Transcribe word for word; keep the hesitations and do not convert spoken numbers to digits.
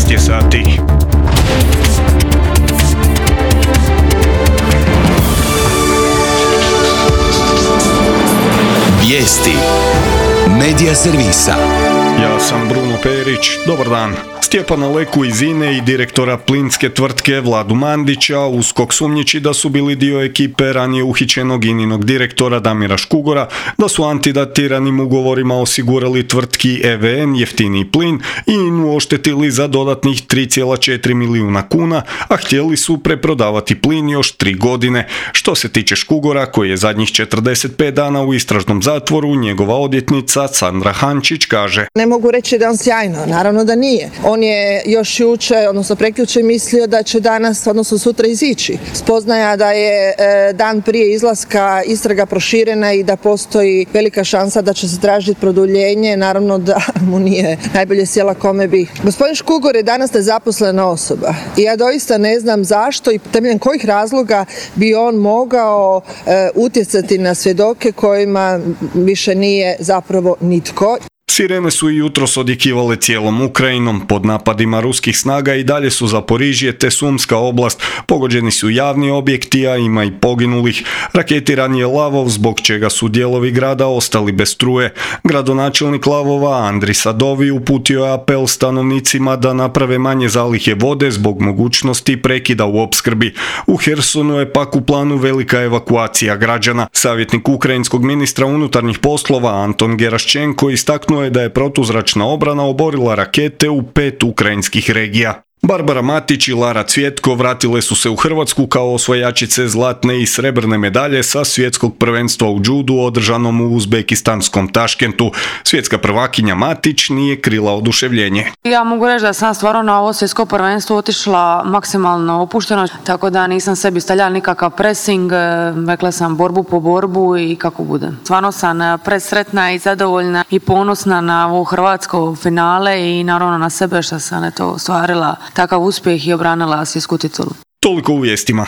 šest je sati. Vijesti Medija servisa. Ja sam Bruno Perić, dobar dan. Stjepana Leku iz I N E i direktora plinske tvrtke Vladu Mandića USKOK sumnjiči da su bili dio ekipe ranije uhićenog I N I-nog direktora Damira Škugora, da su antidatiranim ugovorima osigurali tvrtki E V N jeftiniji plin i I N U oštetili za dodatnih tri zarez četiri milijuna kuna, a htjeli su preprodavati plin još tri godine. Što se tiče Škugora, koji je zadnjih četrdeset pet dana u istražnom zatvoru, njegova odvjetnica Sandra Hančić kaže: Ne mogu reći da je on sjajno, naravno da nije. On je još jučer, odnosno prekjučer mislio da će danas, odnosno sutra izići. Spoznaja da je e, dan prije izlaska istraga proširena i da postoji velika šansa da će se tražiti produljenje, naravno da mu nije najbolje sjela kome bi. Gospodin Škugor je danas nezaposlena osoba i ja doista ne znam zašto i temeljem kojih razloga bi on mogao e, utjecati na svjedoke kojima više nije zapravo nitko. Sirene su i jutros odjekivale cijelom Ukrajinom. Pod napadima ruskih snaga i dalje su Zaporižje te Sumska oblast. Pogođeni su javni objekti, a ima i poginulih. Raketiran je Lavov, zbog čega su dijelovi grada ostali bez struje. Gradonačelnik Lavova Andri Sadovi uputio je apel stanovnicima da naprave manje zalihe vode zbog mogućnosti prekida u opskrbi. U Hersonu je pak u planu velika evakuacija građana. Savjetnik ukrajinskog ministra unutarnjih poslova Anton Geraščenko istaknuo je da je protuzračna obrana oborila rakete u pet ukrajinskih regija. Barbara Matić i Lara Cvjetko vratile su se u Hrvatsku kao osvajačice zlatne i srebrne medalje sa svjetskog prvenstva u džudu održanom u uzbekistanskom Taškentu. Svjetska prvakinja Matić nije krila oduševljenje. Ja mogu reći da sam stvarno na ovo svjetsko prvenstvo otišla maksimalno opušteno, tako da nisam sebi stavljala nikakav pressing, rekla sam borbu po borbu i kako bude. Stvarno sam presretna i zadovoljna i ponosna na ovo hrvatsko finale i naravno na sebe što sam eto ostvarila takav uspjeh i obranila svjetsku titulu. Toliko u vijestima.